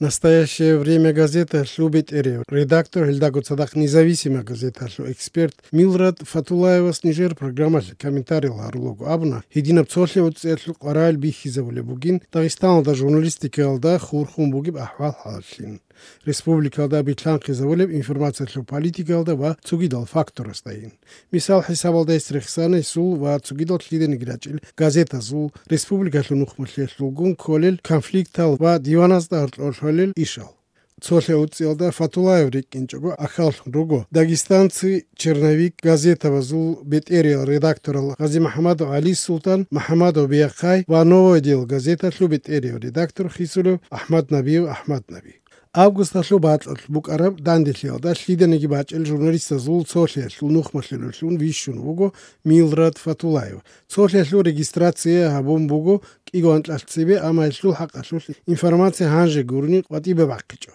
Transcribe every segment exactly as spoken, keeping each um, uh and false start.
«Настоящее время» газеталъул бетӀерев редактор, гьелдаго цадахъ «Независимая» газеталъул эксперт Милрад Фатуллаевас нижер программалъе комментариял гьарулаго абуна, гьединаб цолъи уцӀиялъул къварал бихьизабулеб бугин Дагъистаналда журналистикаялда хурхун бугеб ахӀвал-хӀалаллъин, республикалда билълъанхъизабулеб информациялъул политикаялда ва цогидал факторасдайин. Мисал хӀисабалда гьес рехсана гьесул ва цогидал лъиданиги рачӀел газетазул, республикалъул нухмалъиялъулгун кколел конфликтал ва диваназда гьоркьор лъолел ишал. Цолъи уцӀиялда Фатуллаев рикӀкӀинчӀого ахьаллъун руго «Дагестанцы», «Черновик» газетабазул бетӀериял редакторал Гъази-МухӀамадов ГӀали, Султан-МухӀамадов Биахъай ва «Новое дело» газеталъул бетӀерияв редактор хисулев АхӀмад Набиев АхӀмад Наби. Августалъул бакьалъ букӀараб данделъиялда лъиданиги бачӀел журналистазул цолъиялъул нухмалъулеллъун вищун вуго Милрад Фатуллаев. Цолъиялъул регистрация гьабун буго кӀиго анкьалъ цебе, амма гьелъул хӀакъалъулъ информация гьанже гурони къватӀибе бахъичӀо.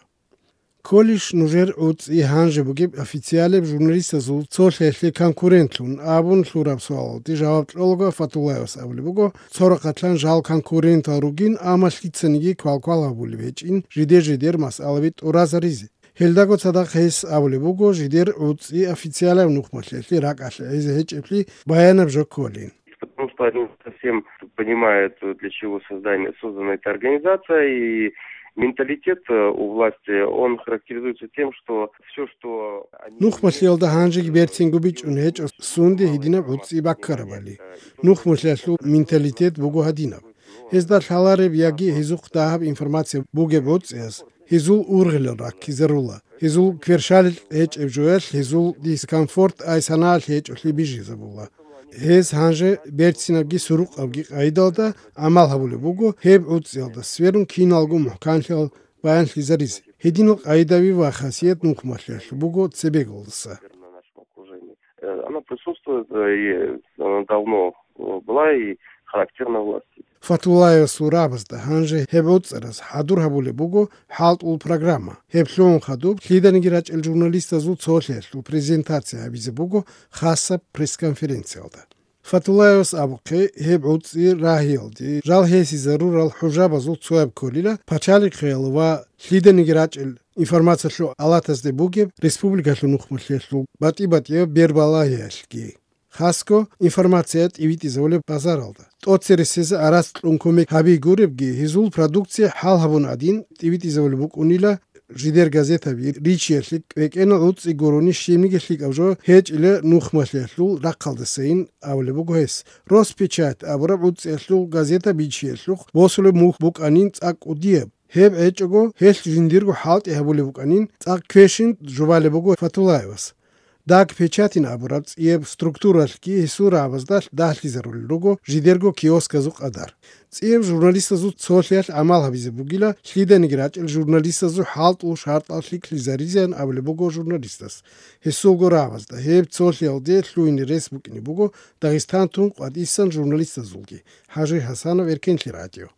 Кколищ нужер уцӀи гьанже бугеб официалияб журналистазул цолъиялъе конкурентлъун абун лъураб суалалде жаваб кьолаго Фатуллаевас абулеб буго, цо рахъалъан жал конкурентал ругин, амма лъицаниги квалквал гьабулеб гьечӀин жидер-жидер масъалаби тӀуразаризе. Гьелдаго цадахъ гьес абулеб буго, жидер уцӀи официалияб нухмалъиялъе ракӀалъе гӀезе гьечӀеблъи баянаб жо кколин. Потому что они не совсем понимают, для чего создание, создана эта организация, и менталитет, э, у власти, он характеризуется тем, что всё, что они... Нухмалъиялда гьанжеги берцинго бичӀчӀун гьечӀо сунде гьединаб уцӀи баккарабали. Нухмалъиялъул менталитет буго гьадинаб. Гьезда лъалареб яги гьезухъ дагьаб информация бугеб уцӀияс гьезул ургъелал раккизарула. Гьезул кверщаликь гьечӀеб жоялъ гьезул дискомфорт ай санаялъ гьечӀолъи бижизабула. Гьез гьанже берцинабги сурукъабги къайдалда гӀамал гьабулеб буго, гьеб уцӀиялда сверун киналго мухӀканлъиялъ баянлъизаризе. Гьединал къайдаби ва хасият нухмалъиялъул буго цебеголдаса. Э, она присутствует, э, и она давно, э, была и характерна власти. Фатуллаевасул рагӀабазда гьанже гьеб уцӀараз хӀадур гьабулеб буго хӀалтӀул программа. Гьеб лъугӀун хадуб лъиданиги рачӀел журналистазул цолъиялъул презентация гьабизе буго хасаб пресс-конференциялда. Фатуллаевас абухъе, гьеб уцӀи рагьиялде жал гьесие зарурал хӀужабазул цояб кколила, пачалихъеял ва лъиданиги рачӀел информациялъул алатазде бугеб республикалъул нухмалъиялъул батӀи-батӀияб бербалагьиялъги. Хасго информация тӀибитӀизабулеб базаралда. ТӀоцересезе арац кьун кумек гьаби гуребги, гьезул продукция хӀал гьабун гӀадин тӀибитӀизабулеб букӀунила жидер газетаби ричиялъе кӀвекӀенал уцӀи гурони щибниги лъикӀаб жо гьечӀила нухмалъиялъул рахъалдасайин абулеб буго гьес. Роспечать абураб уцӀиялъул газета бичиялъухъ босулеб мухь букӀанин цӀакъ кӀудияб. Гьеб гьечӀого гьелъ жиндирго хӀалтӀи гьабулеб букӀанин цӀакъ квешин жубалеб буго Фатуллаевас. Даг печатин абураб цӀияб структуралъги гьесул рагӀабазда дагьлъизарулел руго жидерго киосказул къадар. ЦӀияб журналистазул цолъиялъ гӀамал гьабизе бугила, лъиданиги рачӀел журналистазул хӀалтӀул шартӀал лъикӀлъизаризеян абулеб буго журналистас. Гьесулго рагӀабазда гьеб цолъиялде лъугьине рес букӀине буго Дагъистан тун къватӀисан журналистазулги. ХӀажи ХӀасанов, Эркенлъи радио.